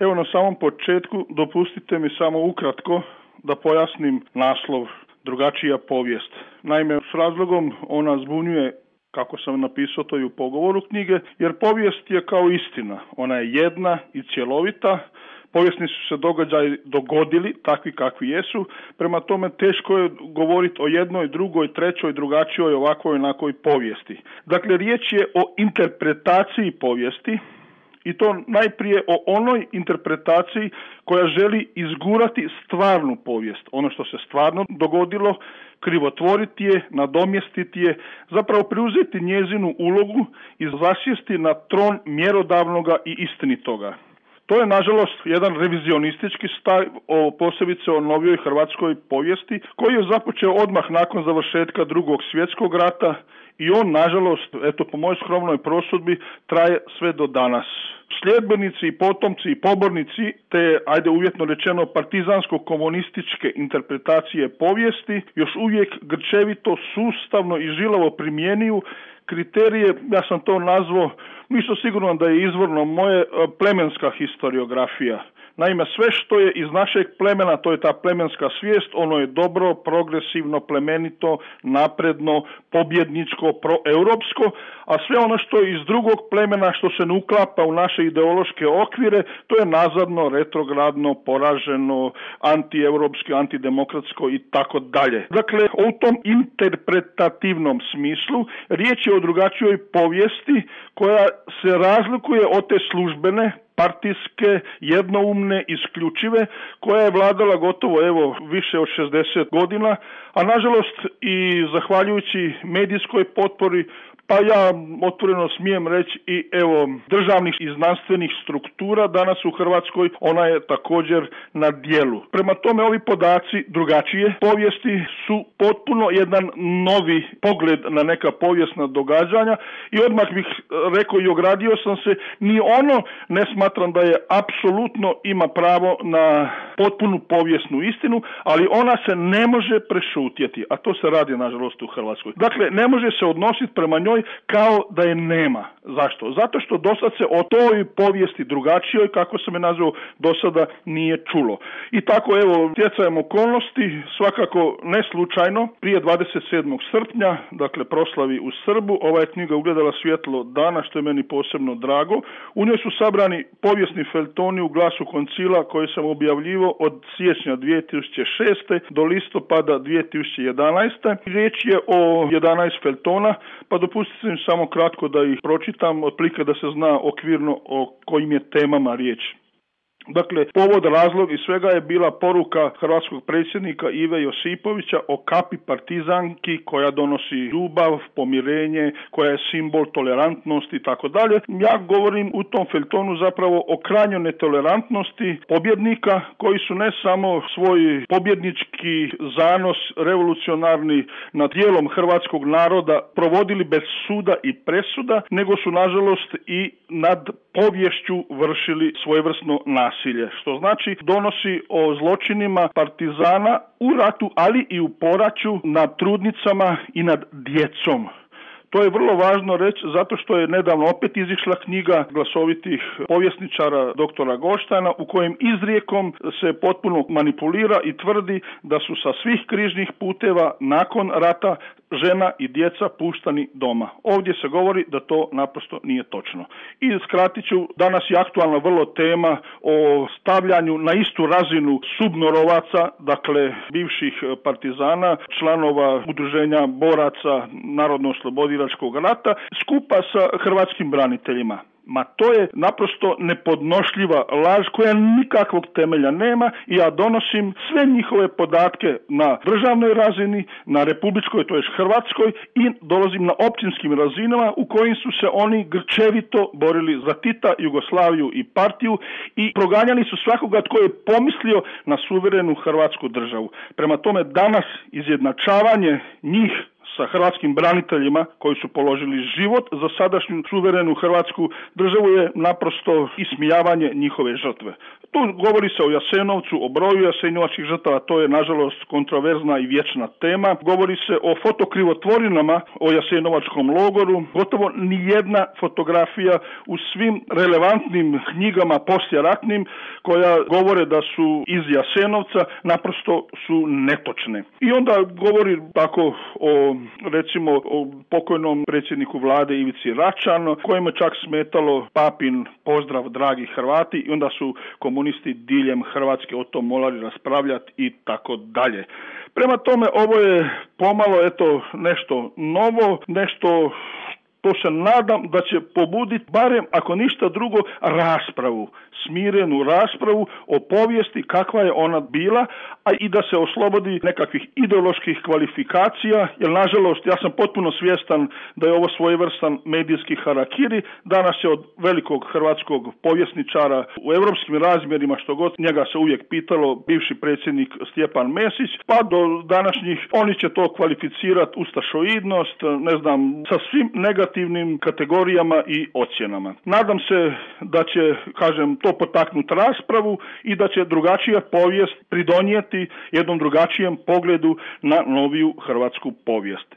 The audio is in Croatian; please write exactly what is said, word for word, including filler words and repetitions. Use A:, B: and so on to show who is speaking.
A: Evo na samom početku dopustite mi samo ukratko da pojasnim naslov Drugačija povijest. Naime, s razlogom ona zbunjuje, kako sam napisao to i u pogovoru knjige, jer povijest je kao istina. Ona je jedna i cjelovita. Povijesni su se događaji dogodili, takvi kakvi jesu, prema tome teško je govoriti o jednoj, drugoj, trećoj, drugačijoj, ovakvoj, onakvoj povijesti. Dakle, riječ je o interpretaciji povijesti, i to najprije o onoj interpretaciji koja želi izgurati stvarnu povijest, ono što se stvarno dogodilo, krivotvoriti je, nadomjestiti je, zapravo preuzeti njezinu ulogu i zasjesti na tron mjerodavnoga i istinitoga. To je, nažalost, jedan revizionistički stav, o posebice o novijoj hrvatskoj povijesti, koji je započeo odmah nakon završetka Drugog svjetskog rata i on, nažalost, eto po mojoj skromnoj prosudbi, traje sve do danas. Sljedbenici i potomci i pobornici te, ajde uvjetno rečeno, partizansko-komunističke interpretacije povijesti još uvijek grčevito, sustavno i žilavo primjenjuju kriterije, ja sam to nazvao, nisam siguran da je izvorno moje, plemenska historiografija. Naime, sve što je iz našeg plemena, to je ta plemenska svijest, ono je dobro, progresivno, plemenito, napredno, pobjedničko, proeuropsko, a sve ono što je iz drugog plemena, što se ne uklapa u naše ideološke okvire, to je nazadno, retrogradno, poraženo, antieuropsko, antidemokratsko i tako dalje. Dakle, u tom interpretativnom smislu riječ je o drugačijoj povijesti koja se razlikuje od te službene, partijske, jednoumne, isključive, koja je vladala gotovo evo više od šezdeset godina, a nažalost i zahvaljujući medijskoj potpori, pa ja otvoreno smijem reći i evo državnih i znanstvenih struktura danas u Hrvatskoj, ona je također na djelu. Prema tome ovi podaci drugačije povijesti su potpuno jedan novi pogled na neka povijesna događanja i odmah bih rekao i ogradio sam se, ni ono ne smatram da je apsolutno ima pravo na potpunu povijesnu istinu, ali ona se ne može prešutjeti, a to se radi nažalost u Hrvatskoj. Dakle, ne može se odnositi prema njoj kao da je nema. Zašto? Zato što dosad se o toj povijesti drugačijoj, kako sam je nazvao, dosada nije čulo. I tako evo, stjecajem okolnosti, svakako ne slučajno, prije dvadeset sedmog srpnja, dakle proslavi u Srbu, ova je knjiga ugledala svjetlo dana, što je meni posebno drago. U njoj su sabrani povijesni feljtoni u Glasu koncila koje sam objavljivao od siječnja dvije tisuće šeste do listopada dvije tisuće jedanaeste. Riječ je o jedanaest feljtona, pa dopustite mi samo kratko da ih pročitam, otprilike da se zna okvirno o kojim je temama riječ. Dakle, povod, razlog i svega je bila poruka hrvatskog predsjednika Ive Josipovića o kapi partizanki koja donosi ljubav, pomirenje, koja je simbol tolerantnosti i tako dalje. Ja govorim u tom feljtonu zapravo o krajnjoj netolerantnosti pobjednika koji su ne samo svoj pobjednički zanos revolucionarni nad dijelom hrvatskog naroda provodili bez suda i presuda, nego su nažalost i nad poviješću vršili svojevrsno nasilje, što znači donosi o zločinima partizana u ratu, ali i u poraću nad trudnicama i nad djecom. To je vrlo važno reći zato što je nedavno opet izišla knjiga glasovitih povjesničara doktora Goštajna u kojem izrijekom se potpuno manipulira i tvrdi da su sa svih križnih puteva nakon rata žena i djeca puštani doma. Ovdje se govori da to naprosto nije točno. I skratit ću, danas je aktualna vrlo tema o stavljanju na istu razinu subnorovaca, dakle bivših partizana, članova udruženja boraca Narodno-oslobodilačkog rata, skupa sa hrvatskim braniteljima. Ma to je naprosto nepodnošljiva laž koja nikakvog temelja nema i ja donosim sve njihove podatke na državnoj razini, na republičkoj, to je hrvatskoj, i dolazim na općinskim razinama u kojim su se oni grčevito borili za Tita, Jugoslaviju i partiju i proganjali su svakoga tko je pomislio na suverenu hrvatsku državu. Prema tome danas izjednačavanje njih sa hrvatskim braniteljima koji su položili život za sadašnju suverenu hrvatsku državu je naprosto ismijavanje njihove žrtve. Tu govori se o Jasenovcu, o broju jasenovačkih žrtava, to je nažalost kontroverzna i vječna tema. Govori se o fotokrivotvorinama o jasenovačkom logoru. Gotovo nijedna fotografija u svim relevantnim knjigama poslijeratnim koja govore da su iz Jasenovca naprosto su netočne. I onda govori tako o, recimo, o pokojnom predsjedniku vlade Ivici Račanu, kojemu je čak smetalo papin pozdrav dragi Hrvati, i onda su komunisti diljem Hrvatske o tom morali raspravljati i tako dalje. Prema tome, ovo je pomalo eto nešto novo, nešto to se nadam da će pobuditi barem, ako ništa drugo, raspravu, smirenu raspravu o povijesti kakva je ona bila, a i da se oslobodi nekakvih ideoloških kvalifikacija, jer nažalost ja sam potpuno svjestan da je ovo svojevrstan medijski harakiri. Danas je od velikog hrvatskog povjesničara u europskim razmjerima, što god njega se uvijek pitalo, bivši predsjednik Stjepan Mesić, pa do današnjih oni će to kvalificirati ustašoidnost, ne znam, sa svim negativnim kategorijama i ocjenama. Nadam se da će, kažem, to potaknuti raspravu i da će drugačija povijest pridonijeti jednom drugačijem pogledu na noviju hrvatsku povijest.